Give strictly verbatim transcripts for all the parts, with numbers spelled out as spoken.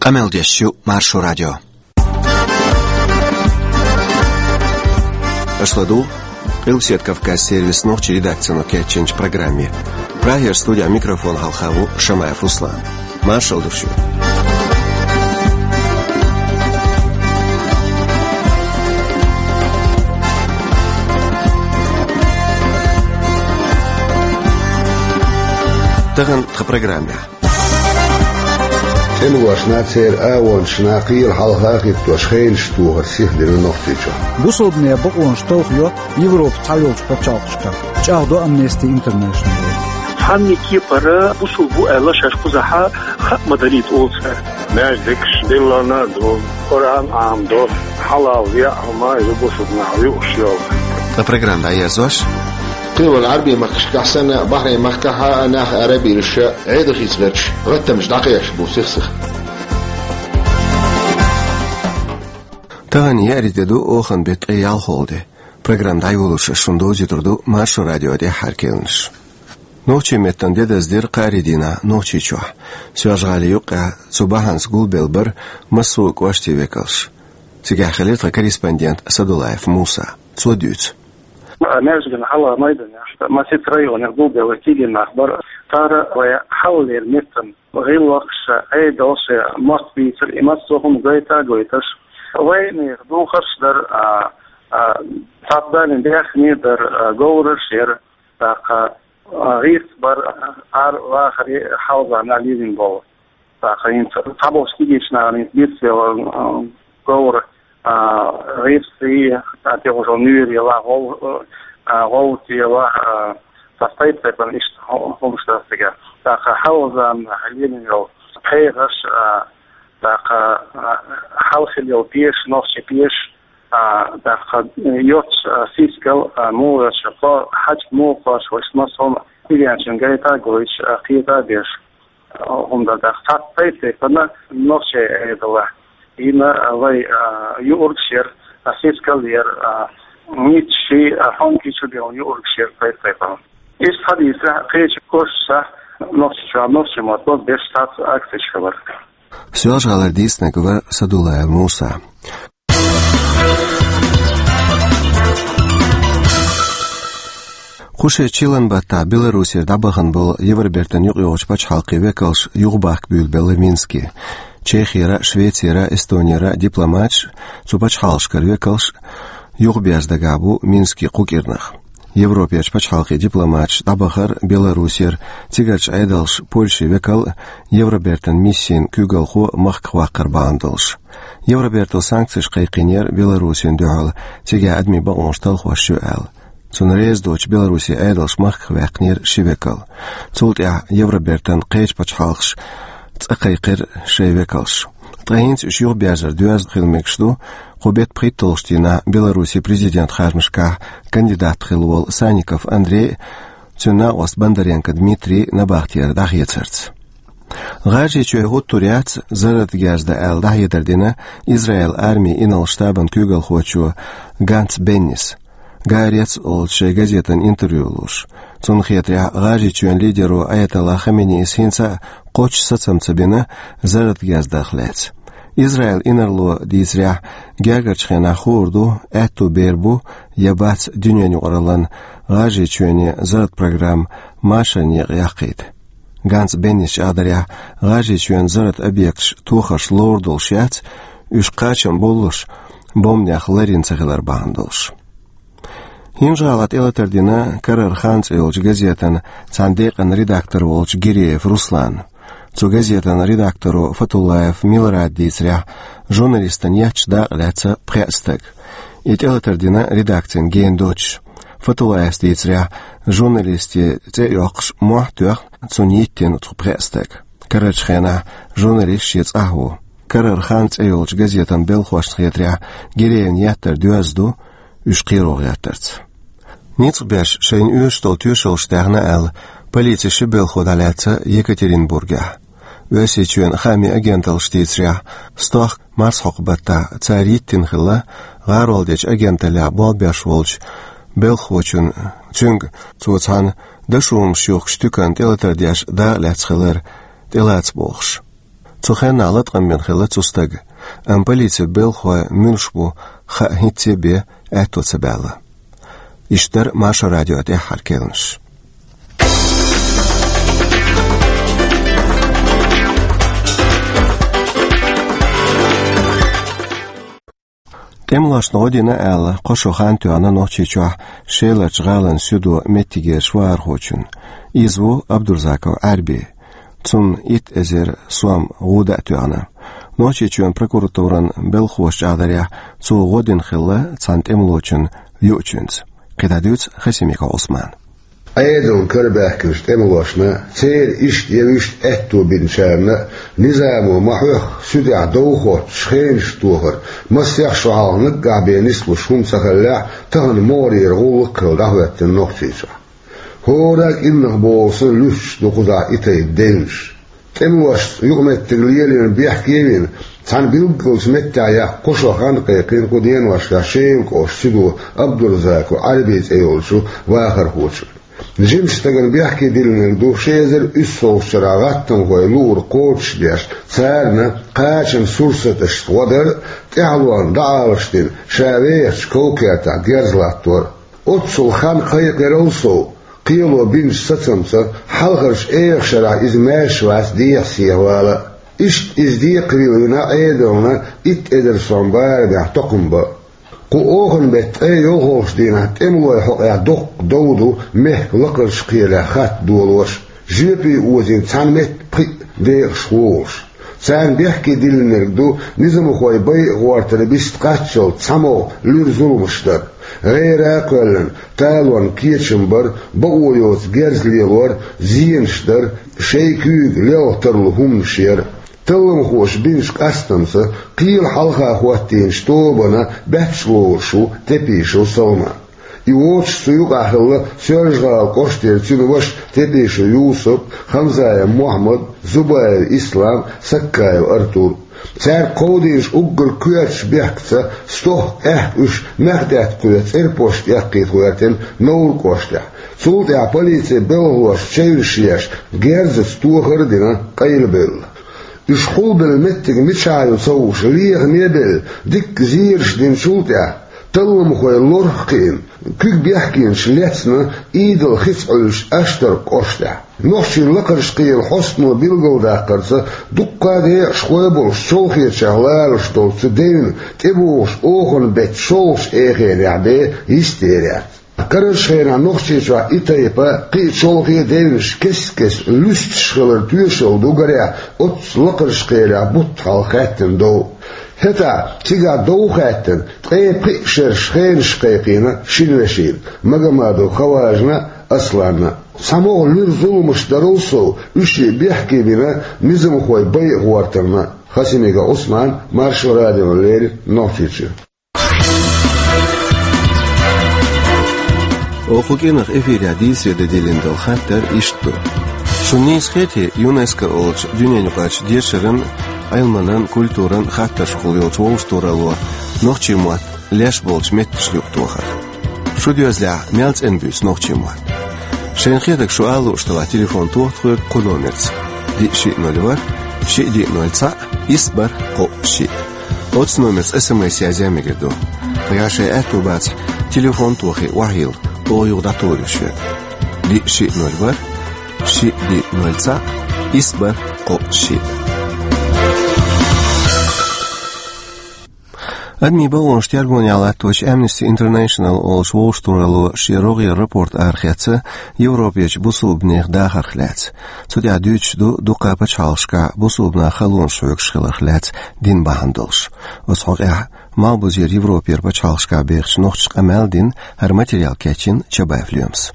Къамел деш ю Маршо радио. Аша ладугӀу Къилбаседа Кавказан сервисан нохчийн редакцино кечйинчу программе. Прагера студехь микрофон хьалха ву Шамаев Руслан. Маршалла ду шуьга. Тахана тхан программехь. ЦӀеношна, церан агӀончашна кхеле хьалха а хӀиттош, хенаш тохар сиха дина Нохчийчохь. Бусалбанийн бакъонаш талхайо Европан цхьайолчу пачхьалкхашкахь, чӀагӀдо Amnesty International. Цхьанне кепара бусалба ву аьлла шаьш кхузахь хаа ма дарийта олу цара. Маьждигаш диллина а ду, Къуръан Ӏамадо, хьалал веа хӀума ю бусалба нах юуш йолу. Ткъа программа дӀаерзош. Кхин а вайн Ӏаьрбийн махкашкахь санна, Бахрейн махкахь а нах арабевлла, Ӏедал хийца гӀерташ, гӀаттамаш дӀакхехьаш бу сих-сиха. Тахана еарин де ду, оханан беттан ткъе ялхалгӀа де. Программа дӀайолош шуна довзуьйтур ду Маршо радион тӀаьххьара керланаш. Нохчийн меттан де даздира кхаарин дийнахь Нохчийчохь. Соьлжа-ГӀалин юккъехь цу бахьанца гулбелла бара массо а кӀоштийн векалш. Цигахь хилира тхан корреспондент Садулаев Муса. Цо дуьйцу. Маьждиган хьалха майданехь, масситта районех гулбелла кегий нах бара. Цара вайн хьалхалера меттан гӀиллакхаш, Ӏедалш, мостагӀчий, и массо а хӀума гайта а гойтуш, вайнехан духарш дара, а, а, цхьацца Далла даьхни дара, а, говраш яра, тӀаккха, а, гӀирс бара, а, ара вахаре хьалха нах лелийна болу. ТӀаккха хӀинца цхьаболчу кегийчу нахана хӀинца бицвелла, а, говр, а, гӀирсий, а, тӀехула нуьйр яла, гӀов-, а, гӀовта яла, а, цхьа тайп-тайпана иштта хӀу-, хӀумаш дара цигахь. ТӀаккха хьалха заманахь лелийна йолу пхьегӀаш, а, тӀаккха, а, хьалха хилла йолу пеш, нохчийн пеш, а, тӀаккха йоцуш, а, сискал, а, муха йоцуш, кхо-, хьаьжкӀа муха кхоьруш, вайша массо а хӀума кегийчун гайта а гойтуш, а, кхета а беш. ХӀунда аьлча цхьацца тайп-тайпана нохчийн Ӏедалехь йина, а, вай, а, юургаш яра, а, сискал яра, а, ницкъаш, а, хьомкий чу бен юургаш яра тайп-тайпана. Иштта хьадийцарехь, кхечу кӀошташкахь Нохчийчохь нохчийн мотт бан беш цхьацца акцеш хилира. Соьлжа-ГӀалара дийцинарг вара Садулаев Муса. Кху шеран чиллан баттахь Беларусера дӀабахана болу Евробертан юкъайогӀучу пачхьалкхийн векалш юхабахка буьйлабелла Минске. Чехера, Швецера, Эстонера дипломаташ, цу пачхьалкхашкара векалш юхаберза дагахь бу Минске кху кӀирнах. Европерчу пачхьалкхийн дипломаташ дӀабахара Беларусера, цигарчу Ӏедалша Польшин векал, Евробертан миссин куьйгалхо махках ваккхар бахьана долуш. Евробертал санкцеш кхайкхийнера Беларусина дуьхьал, цигахь адамийн бакъонаш талхош ю аьлла. Цунна реза доцуш Беларусин Ӏедалш махках ваьккхинера ши векал. Цул тӀаьхьа Евробертан кхечу пачхьалкхаша цӀа кхайкхира шайн векалш. Ткъа хӀинца уьш юхаберзар доьзна хила мегаш ду кху беттан пхийтталгӀачу дийнахь Беларусин президентан харжамашкахь кандидат хилла волу Санников Андрей а, цуьнан накъост Бондаренко Дмитрий а набахтера дӀахецарца. ГӀажарийчоь хӀуттур яц, зарратан герз дан аьлла дӀахьедар дина Израилан армин инарла штабан куьйгалхочо Ганц Беннис, Гаарец олучу шайн газетана интервью луш. Цунна хетарехь, ГӀажарийчоьнан лидеро Аятолла Хаменеис хӀинца а кхоччуш сацам ца бина зарратан герз дарх лаьцна. Израилан инарло дийцарехь, гергарчу хенахь хуур ду, аьтту бер бу я бац дуьненан юкъараллин ГӀажарийчоьнан зарратан программа машаран некъа яккхийта. Ганц Беннис чӀагӀдарехь, ГӀажарийчоьнан зарратан объекташ тохарш ловр долуш яц, уьш кхачам боллуш, бомбанех ларйина ца хилар бахьана долуш. ХӀинжа-ГӀалахь тӀелатар дина «Карара хан» цӀе йолчу газетан цхьана декъан редактор волчу Гиреев Руслана. Цу газетан редакторо Фатуллаев Милрада дийцарехь, журналистана етташ дакъа лаьцна пхеа стаг. И тӀелатар дина редакцина гена доцуш. Фатуллаевс дийцарехь, журналистан цӀе а йоккхуш, мохь а тоьхна, цунна йиттина цу пхеа стага. Карарчу хенахь журналист шен цӀахь ву. «Карара хан» цӀе йолчу газетан белхошна хетарехь, Гиреевна еттар доьзна ду, уьш кхеро гӀертарца. Ницкъ беш шайна оьшуш долу тоьшаллаш даьхна аьлла, полицин ши белхо дӀалаьцна Екатеринбургехь. Оьрсийчоьнан хаамийн агенталлаша дийцарехь, стохка марсхьокху баттахь цара йиттина хилла гӀаролдечу агенталлехь болх беш волчу белхахочунна, цуьнга цо цхьана дошо хӀумаш юхкучу туьканна тӀелатар деш дакъа лаьцна хилар тӀелаца бохуш. Цу хенахь латкъам бина хилла цу стага, амма полицин белхалой муьлш бу хаа хӀинцца а бен аьтто ца баьлла. Иштта дара Маршо радион тӀаьххьара керланаш. ТӀемалошна гӀо дина аьлла, кхо шо хан тоьхна Нохчийчохь Шеларчу гӀалин суьдо меттигерчу вахархочунна. Иза ву Абдурзаков Ӏаьрби. Цунна итт эзар сом гӀуда а тоьхна. Нохчийчоьнан прокуратуран белхалоша чӀагӀдарехь, цо гӀо дина хилла цхьана тӀемалочун юучуьнца. КхидӀа дуьйцу Хасимиков Ӏусмана. Ӏедална карабаьхкинчу тӀемалошна, церан иштта я вуьшта аьтто бинчарна а низамо ма-хьоьхху суьдехь дов хоттуш хенаш тохар, масех шо хьалха наггахь бен нислуш хӀума ца хиллехь, тахана могӀарера гӀуллакх а хилла дӀахӀоьттина Нохчийчохь. ХӀора а кӀирнах бохург санна луьстуш ду кхузахь и тайпа девнаш. ТӀемалошца юкъаметтиг лелийна бехке а вина, цхьана билггал меттехь яккха кхо шо хан кхайкхина кху деношкахь Шелан кӀоштан суьдо Абдурзаков Ӏаьрби цӀе йолчу вахархочунна. Жимачу стагана бехке диллинарг ду ши эзар уьссалгӀачу шарахь гӀаттамхойн луург кхочушдеш, царна кхачанан сурсаташца гӀо дар а, тӀаьхьалонна дӀаалаш дина, ша вехачу ков-кертахь герз латтор а. Оццул хан кхайкхарал сов, кхело бинчу сацамца, хьалхарчу эха шарахь иза маьрша вац дехьа-сехьа вала а. Иштта иза декхарийлахь вина Ӏедална итт эзар сом барамехь токхам бан а. Кху оханан беттан ткъе йолхалгӀачу дийнахь тӀемалойн хьокъехь доккха дов ду мехкан лакхарчу кхелехь хатта долош, жоьпе озийна цхьана метта пхиъ декъашхо волуш. Царна бехке диллинарг ду низамхойн байа гӀортар бист кхаччалц цхьамогӀа луьра зуламаш дар, гӀера а кхоьллина, талорна кечам бар, бакъо йоцу герз лелор, зенаш дар, шайн куьйга лелха тарлу хӀуманаш яр. Талламхоша бинчу къастамца кхелан хьалха хӀоттийначу тобанан баьчча лоруш ву Тепишев Салман. И воцуш цу юкъахь хилла Соьлжа-ГӀалин кӀоштара цуьнан ваша Тепишев Юсуп, Хамзаев Мохьмад, Зубаев Ислам, Саккаев Артур. Цаьрга кховдийначу уггар коьртачу бехкаца стохка аьхка уьш маьхдаьтта кхоьца цӀерпошта эккхийта гӀоьртина Невран кӀоштехь. Цул тӀаьхьа полицин белхалошна чевнаш еш, герзаца тохар а дина, къайлабелла. Уьш хьулбелла меттиг мичахь ю ца хууш, лехаме а белла, дикка зераш динчул тӀаьхьа, талламхой лорах а кхиъна, куьг бехкенаш лецна Идал хица Ӏуьллучу Аштаркан кӀоштехь. Нохчийн лакхарчу кхелан хьостано билгалдаккхарца, дуккха а декъашхой болуш, Чолхечех лоруш долчу цу девна тӀебогӀучу оханан беттан шолгӀачу эхарехь бен йистера яц. Карарчу хенахь Нохчийчохь и тайпа кхин а чолхе а девнаш кест-кеста луьстуш хилар тоьшалла ду, гарехь, оццу лакхарчу кхелехь бутт хьалха хаьттина дов. ХӀетахь, цигахь дов хаьттина, ткъе пхиъ шераш хенаш кхайкхийна шина вешина, Магомадов Хаважна а, Асланна а. ЦхьамогӀа луьра зуламаш дарал сов, уьш бехке бина низамхойн байа гӀортарна. Хасимиков Ӏусман, Маршо радиона леррина Нохчийчуьра. Оха кху кӀирнах эфирехь дийцаре дан диллина долу хаттар иштта ду. Шуна нийса хетий ЮНЕСКО олучу дуьненаюкъарчу дешаран, Ӏилманан, культуран хаттаршкахула йолчу вовшахтохаралло нохчийн мотт леш болчу меттанашна юкъатохар? Шу доьзалехь мел цӀена буьйцу нохчийн мотт? Шайна хетарг шу ала лууш делахь, телефон тоха тхоьга кху номерца: диъ шиъ ноль ворхӀ, шиъ диъ ноль цхьаъ, исс бархӀ кхоъ шиъ. Оцу номерца эс эм эс язъян мегар ду. Нагахь шайн аьтто бацахь, телефон тохий, охьайилла, оха юха дӀатухур ю шуьга. Диъ шиъ ноль ворхӀ, шиъ диъ ноль цхьаъ, исс бархӀ кхоъ шиъ. Адамийн бакъонаш тергонехь латточу Amnesty International олучу вовшахтохаралло шен рогӀера рапорт арахецна Европерчу бусулбанех дахарх лаьцна. Цу тӀехь дуьйцуш ду дуккха а пачхьалкхашкахь бусулбанах халонаш хьоьгуш хиларх лаьцна дин бахьана долуш. Оцу хьокъехь Малхбузера Европера пачхьалкхашкахь бехачу нохчаша къамел а дина, хӀара материал кечйина Чабаев Лоьмас.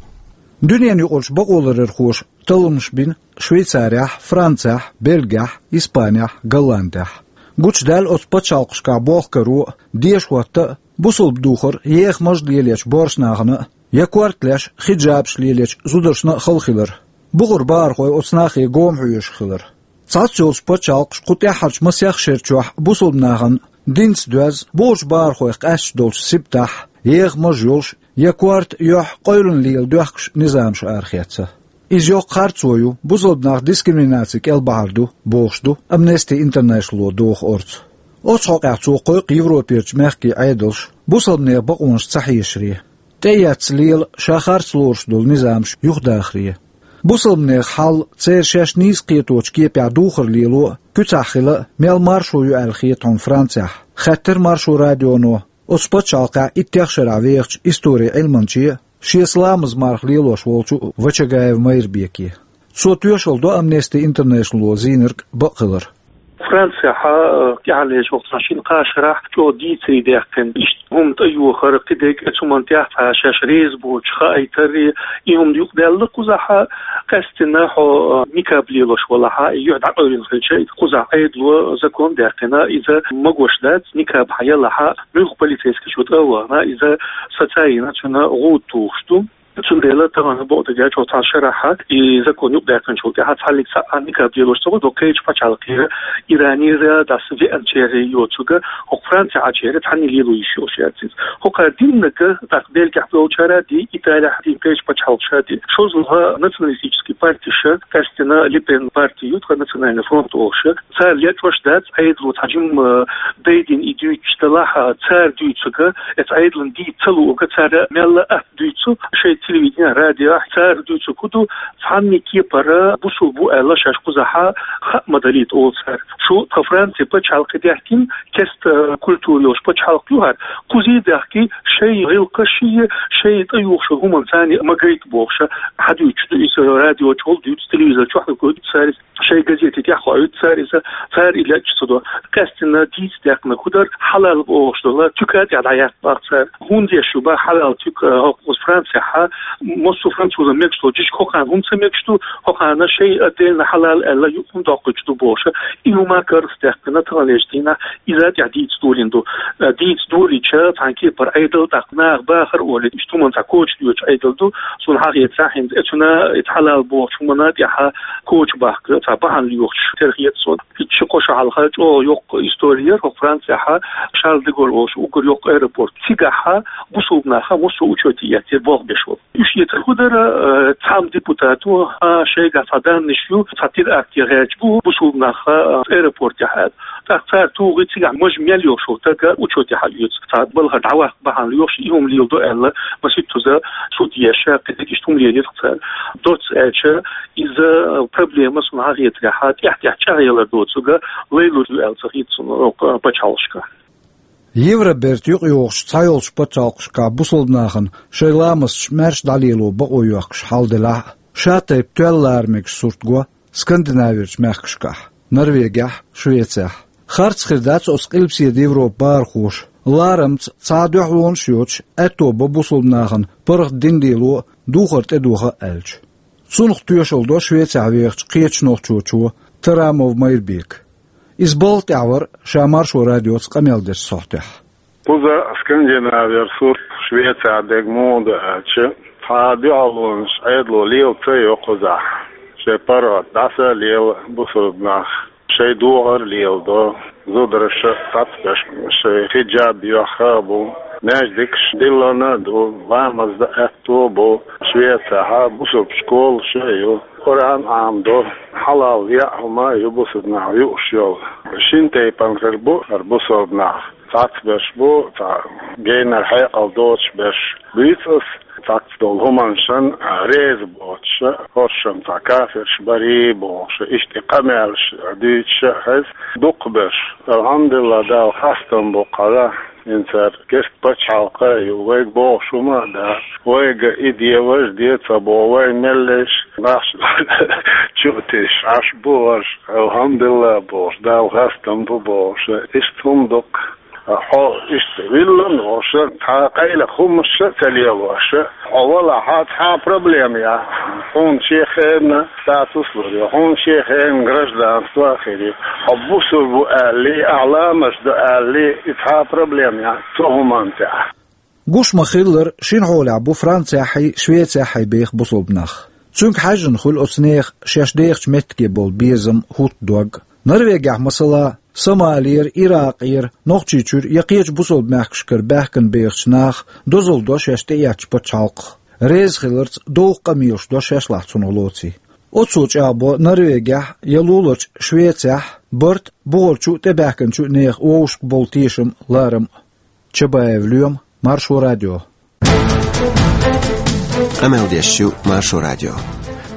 Дуьненаюкъарчу бакъоларъярхоша талламаш бина Швейцарехь, Францехь, Бельгехь, Испанехь, Голландехь. Гучудаьлла оцу пачхьалкхашкахь болх каро а, деша хӀотта а, бусулба духар еха-мажа лелочу боьрша нахана а, я корта леш, хиджабаш лелочу зударшна а хала хилар. Бухара бахархой оцу нахе гома хьоьжуш хилар. Цхьацца йолчу пачхьалкхаша кху тӀаьххьарчу масех шера чохь бусулба нахана динца доьзна, бухарчу бахархойх къаьсташ долчу сибатехь, еха-мажа йолуш, я корта а, юьхь а къевлина лела доьхкуш низамаш арахецна. Иза йоккха харцо ю, бусалба нах дискриминаци кӀел бахьар ду, бохуш ду Amnesty International-о доху орца. Оцу хьокъехь цо кхойкху Европерчу мехкийн Ӏедалш бусалбанийн бакъонаш ца хьешаре, тӀеэцна лела ша харц лоруш долу низамаш юхадахаре. Бусалбанийн хьал, церан шаьш нийса кхеточу кепехь духар лело а, куьцахь хила а, мел маршо ю аьлла хета хьуна Францехь, хаьттира Маршо радионо оцу пачхьалкхехь иттех шарахь вехачу историн Ӏилманче а, шеца ламаз марха лелош волчу Вачагаев Майрбеке. Цо тоьшалла до Amnesty International-о зийнарг бакъ хилар. Францехь, э, тӀаьхьарлечу вахтехь шина-кхаа шарахь чӀогӀа дийцаре даьккхина, иштта хӀума тӀейохар, кхидерг а цу хӀуманна тӀехь цхьа шаьш реза боцуш хаийтар, и хӀума юкъадаьлла кхузахь, къаьсттина хьо, э, никаб лелош валахь, и юьхь дӀакъевлина хилча, кхузахь Ӏедало закон даьккхина, иза магош дац, никаб хьан ялахь, муьлхха полицейски чу тӀе а вахана, иза сацийна, цуьнан гӀуда тухуш ду. Цундела тахана бакъдерг аьлча, оцу цхьана шарахь и закон юкъадаьккхинчул тӀаьхьа цхьаллиг цхьа а никаб лелош ца хуьлу, кхечу пачхьалкхера, Иранера, дас веанчеран йоцург, хӀокху Францехь Ӏачеран цхьаьнна лело йиш йолуш яц иза. ХӀокхара диннарг, тӀаккха Бельгехь долчара а ди, Италехь а ди, кхечу пачхьалкхаша а ди, шозлагӀа националистический партиша, къаьсттина Ле Пен парти ю, тхан Национальный фронт олуш, цара лечкъош дац, Ӏедало цхьа жимма дайдина и дуьйцуш делахь, цара дуьйцург, эцу Ӏедална дийца ца луург, цара мелла а атта дуьйцу шайн телевиденехь, радиохь, цара дуьйцург хӀун ду, цхьанна кепара бусулба ву аьлла шаьш кхузахь хаа ма далийта олу цара. Шу тхан Францин пачхьалкх даьхкина, кеста культура йолуш пачхьалкх ю хӀара, кхузий даьхкий, шайн гӀиллакхашший, шайн тӀеюхуш йолу хӀуманна царна ма гайта бохуш, хьадуьйцуш ду иза, радио чухула дуьйцу, телевизор чохь а гойту цара иза. Шайн газетийн тӀехь хоуьйту цара иза, цара и лечкъаш ца до. Къаьсттина дийца даьккхинарг хӀун дара, хьалал бохуш долу туька тӀехь дӀаяккха боху цара. ХӀунда еш ю боху хьалал туька, хӀокху Францехь, массо а французна мегаш долу жижиг хӀокхарна хӀунда ца мегаш ду, хӀокхарна шайн отдельно хьалал аьлла юкъ хӀунда доккхуьйтуш ду бохуш. И хӀума карзадаьккхина таханлерчу дийнахь, иза тӀехь дийца долийна ду. Дийца долийча, цхьана кепара Ӏедал, тӀаккха наха бахар а олий, иштта хӀуманна цхьа коча доьдуш Ӏедал ду, суна хьан хетарехь хӀинца. Эцуьнан и хьалал бохучу хӀуманна тӀехь коча бахка цхьа бахьана лоьхуш тера хета суна. Иштта ши-кхо шо хьалха чӀогӀа йоккха истори яра хӀокху Францехь, Шарль де Голль олуш уггар йоккха аэропорт. Цигахь бусулба нах массо а учете эцнера болх беш волу. Уьш эцар хӀун дара, э, цхьамма депутато, хьан шайгахь цхьа даннаш ю, цхьа теракте гӀерташ бу бусулба нах, э, аэропортехь аьлла. ТӀаккха цара тухий цигахь мажа мел йолуш волу стаг учете хьаоьцу. Цхьа балхара дӀаваккха бахьана лоьхуш, и хӀума леладо аьлла, масийттаза суд еш, кхидерг иштта хӀума лелийра цара. Доцца аьлча, иза проблема, суна хьан хетарехь, тӀаьхь-тӀаьхьа чӀагӀъялар доцург, лайлур ю аьлла ца хета суна, э, пачхьалкхашка. Евробертан юкъайогӀучу цхьайолчу пачхьалкхашкахь бусулба нахана шайн ламазаш маьрша дӀалело бакъо йоьхкуш хьал делахь а, шатайпа тоьлла лара мегаш сурт го Скандинаверчу мехкашкахь, Норвегехь, Швецехь. Харц хир дац оцу Къилбаседа Европан бахархоша, ларамца цхьа а дуьхьалонаш а йоцуш, аьтто бан бусулба нахана паргӀат дин лело а, духар тӀедоха а аьлча. Цунах тоьшалла до Швецехь вехачу кхечу нохчочо, Тарамов Майрбека. Иза балха тӀехь вара ша Маршо радиоца къамел дечу сохьтехь. Кхуза Скандинавера сурт Швецехь дерг муха ду аьлча, цхьа а дуьхьалонаш Ӏедало лела ца йо кхузахь. Шайн паргӀат дӀаса а лела бусулба нах, шайн духар а леладо, зударша а цхьацбеш шайн хиджаб йоьхна а бу, маьждигаш диллина а ду, ламаз дан аьтто а бу, Швецехь бусулба школаш а ю, Къуръан Ӏамадо, хьалал яа хӀума а ю бусулба наха юуш йолу. Шина тайпана хир бу хӀара бусулба нах. Цхьацберш бу, цхьа генара хьекъал доцуш берш буьйцу ас, цхьацца долу хӀуманашна реза боцуш, хӀоршшам цхьа кафирш барий бохуш, иштта и къамелаш дуьйцуш а хеза дукхахберш. Алхьамдулиллахь, Далла хастам бу кхузахь, хӀинца цара керста пачхьалкх а ю, вайга бохуш хӀума а дац, вайга и де, важа де ца боху, вай меллаша нах чу а тесаш Ӏаш бу хӀорш, алхьамдулиллахь бохуш, Далла хастам бу бохуш, иштта хӀума дукха. Хьо иштта виллина волуш, цхьа къайлаха хӀуманаш а ца лелош, хьо валахь, цхьа а проблема яц. Хьуна шен хенан статус лур ю, хьуна шен хенан гражданство а хир ю. Хьо бусулба ву аьллий, ахь ламаз до аьллий, и цхьа а проблема яц цу хӀуманна тӀехь. Гуш ма-хиллара, шина хьолехь бу Францехьий, Швецехьий беха бусулба нах. Цуьнга хьаьжжина хуьлу оцу нехан шаьш дехачу меттиге болу безам, хӀутту дог. Норвегехь, масала, Сомалера, Иракъера, Нохчийчуьра я кхечу бусулба мехкашкара баьхкина бехачу наха дозалла до шаьш тӀеэцначу пачхьалкхах. реза хиларца довха къамелаш до шашлахь цунах лоций. Оцо чӀагӀбо Норвегехь я луларчу Швецехь барт бухарчу а тӀебаьхкинчу а нехан вовшашка болу тешам, ларам а. Чабаев Лоьма, Маршо радио. Къамел деш ю Маршо радио.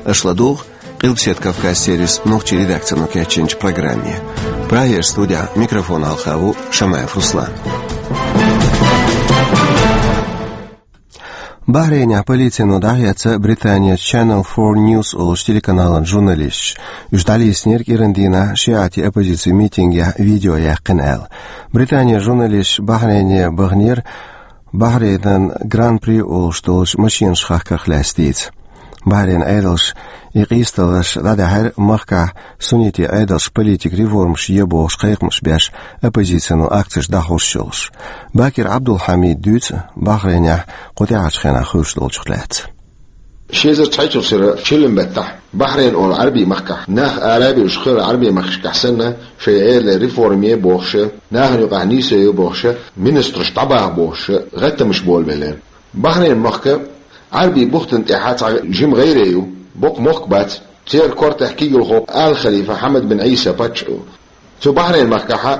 Аша ладугӀу Къилбаседа Кавказ сервисан нохчийн редакцино кечйинчу программе. Прагера студехь микрофон хьалха ву Шамаев Руслан. Бахрейнехь полицино дӀахецна Британин Channel Four News олучу телеканалан журналисташ. Уьш дӀалийцинера кӀиран дийнахь шиӀатийн оппозицин митингехь видео яьккхина аьлла. Британин журналисташ Бахрейне баханера Бахрейнан Гран-при олуш долчу машенаш хахкарх лаьцна дийца. Бахрейнан Ӏедалша и къийсадаларш дӀадаьхьира махкахь суннитийн Ӏедалша политикан реформаш е бохуш кхайкхамаш беш, оппозицино акцеш дӀахьош йолуш. Бакир Ӏабдулхьамида дуьйцу Бахрейнехь кху тӀаьхьарчу хенахь хуьлуш долчух лаьцна. Ши эзар цхьайтталгӀачу шеран чиллан баттахь Бахрейн олу Ӏаьрбийн махкахь нах ара а бевлла, кхечу Ӏаьрбийн махкашкахь санна, шайн Ӏедале реформа е бохуша, нахана юкъахь нийсо е бохуша, министраш дӀабаха бохуша, гӀаттамаш болабеллера. Бахрейн мохк Ӏаьрбийн бухтана тӀехь цхьа жима гӀайре ю, боккха мохк бац, церан кортехь кегийрхо Ала-Халифа Хьамад бин Ӏийса паччахь ву. Цу Бахрейн махкахь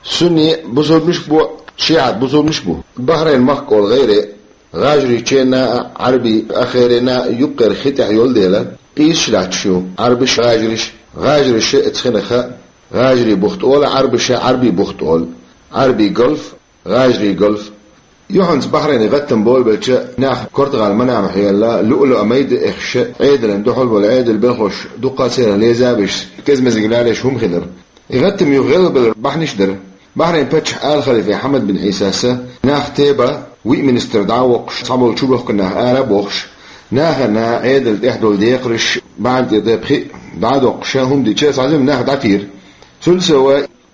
сунни бусулбанаш а бу, шиӀат бусулбанаш а бу. Бахрейн мохк олу гӀайре гӀажарийн ченна а, Ӏаьрбийн ахгӀайренна а юккъера хи тӀехь йолу дела, къийсаш лаьтташ ю Ӏаьрбаша, гӀажариша. ГӀажариша оцу хенахь гӀажарийн бухт олу, Ӏаьрбаша Ӏаьрбийн бухт олу, Ӏаьрбийн голф, гӀажарийн голф. Юьхьанца Бахрейне гӀаттам болабелча, нах Португал Манама хьелла, луъ-луъа майда а эхаш, Ӏедална дуьхьал болу Ӏедалан белхалоша дуккха а церан леза а беш, кеза-мезиг лелош хӀума хилира. И гӀаттам юха гӀелбалар бахьанаш дара. Бахрейн паччахьо Ала-Халифа Хьамад бин Ӏийсас нах тебан, виъ министр дӀа а воккхуш, цхьаболу чубохкана нах ара а бохуш, нахана Ӏедална тӀехь долу декхарш, бӀаьнна тӀе тайпа хи а дӀа а доккхуш, хӀума дича, цхьа жима нах дӀатийра. Цул сов,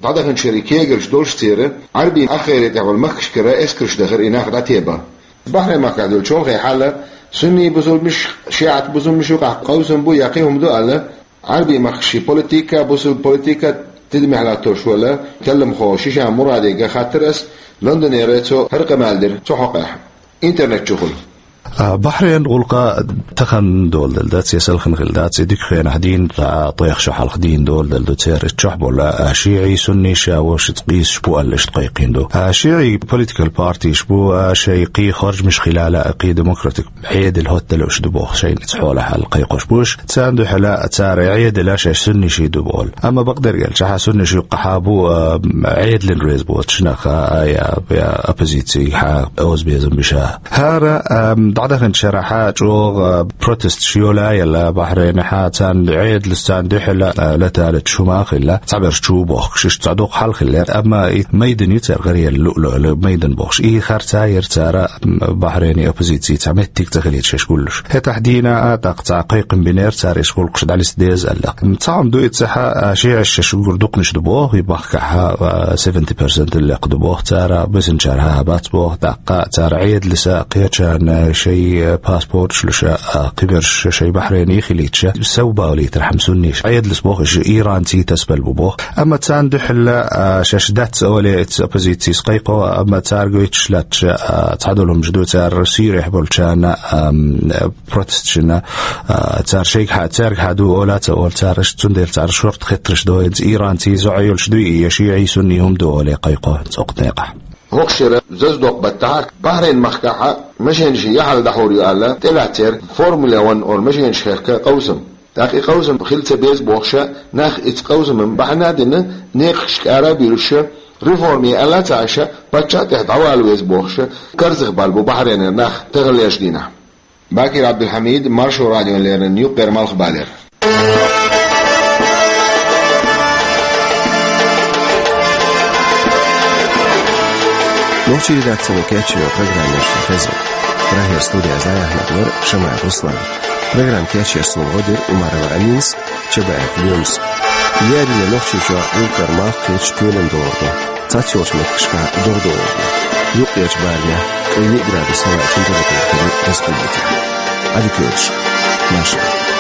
дӀадаханчу шеран кегарш долуш церан Ӏаьрбийн ахгӀайре тӀехь болу махкашкара эскарш дахара и нах дӀатебан. Бахрейн махкахь долу чолхе хьал, сунни бусулбанаш, шиӀат бусулбанаш юкъахь къовсам бу я кхин хӀума ду аьлла, Ӏаьрбийн махкашкахь политика, бусулба политика тидамехь латтош волу талламхо Шишан Мураде хаттира ас, Лондонера цо хӀара къамел дира цу хьокъехь. Интернет чухула. А, Бахрейн гӀуллакх тахана доладелла дац, я селхана хилла дац, и дика хенахь дийна, а, тӀех шо хьалха дийна доладелла ду церан. Чохь болу, а, шиӀий, сунниш а вовшашца къийсаш бу аьлла, иштта кхайкхийна ду. А, шиӀий политикал партиш бу, а, шайн кхин харжамаш хилла а, кхин демократик Ӏедал хӀотталуш ду боху шайна цхьа хьолахь аьлла кхайкхош бу уьш. Царна дуьхьал цара Ӏедал а шаьш сунниший ду боху. Амма бакъдерг аьлча, хьан сунниш юккъахьа бу, а, Ӏедална реза боцуш нах а, я, я оппозицигахьа оза безам беш а. ХӀара, ам, дӀадаханчу шарахь чӀогӀа, а, протесташ йолаелла Бахрейнехь, царна Ӏедалс царна дуьхьал, а, латалучу хӀума а хилла, цхьаберш чу бохкуш, иштта цхьа дукха хьал хиллера. Амма и майдан ю церан гӀаръелла луъ-луъ майдан бохуш. И харц а яра цара, м, Бахрейнан оппозици цхьа меттиг ца хилийта шаьш гуллуш. ХӀетахь дийна а, тӀаккха цхьа кхайкхам бинера цара иштта гӀуллакхаш дӀалиста деза аьлла. Цхьа хӀума ду иза цхьа, а, шиӀаш шаьш уггар дукханаш ду боху, и махкахь, а, seventy percent лекха ду боху цара, бисинчара хӀара бац боху, тӀаккха цара Ӏедалс а кхечарна шайн паспорташ луш а, кхиберш шайн Бахрейне хилийташ, сов балийтархьама сунниш. Ӏедалс боху, иштта иранций тасабелла бу боху. Амма царна дуьхьал, а, шаьш дац олий, оцу оппозицис кхайкхо, амма цара гойтуш лаьтташ, а, цхьа долу хӀумаш ду, цара Сирехь болчарна, ам, протесташна, а, цара шайгахьа, цаьргахьа ду ола а ца олу цара, цундела цара шорта хеттарш до, хӀинца иранций зӀе йолуш дуй и, я шиӀий, сунниш хӀума ду олий кхайкхо цу некъахь. ХӀокху шеран зазадоккху баттахь Бахрейн махкахь машенаш яхьал дӀахьур ю аьлла, тӀелаьцнера Формула Ван олу машенаш хехка къовсам. ТӀаккха и къовсам хила ца беза бохуш, нах оцу къовсаман бахьана а дина, некъашка ара а буьйлуш, реформа е аьлла а ца Ӏаш, паччахьан тӀехь дӀавала веза бохуш, карзахбала бу Бахрейнера нах таханлерчу дийнахь. Бакир Ӏабдулхьамид, Маршо радиона леррина, юккъера Малхбалера. Нохчийн редакцино кечйина программа шу хезна. Прагера студехь зӀе-, вара Шамаев Руслан. Программа кечъеш суна гӀо дира Умарова Аминас, Чабаев Лоьмас. Леррина Нохчийчохь юккъера малх кхеташ кхоьлина догӀу ду. Цхьацца йолчу меттигашкахь догӀа догӀур ду. Юккъерчу баланехь ткъе йиъ градус хӀаваъ температура хир ю республикехь. Ӏадика йойла шун. Маршалла.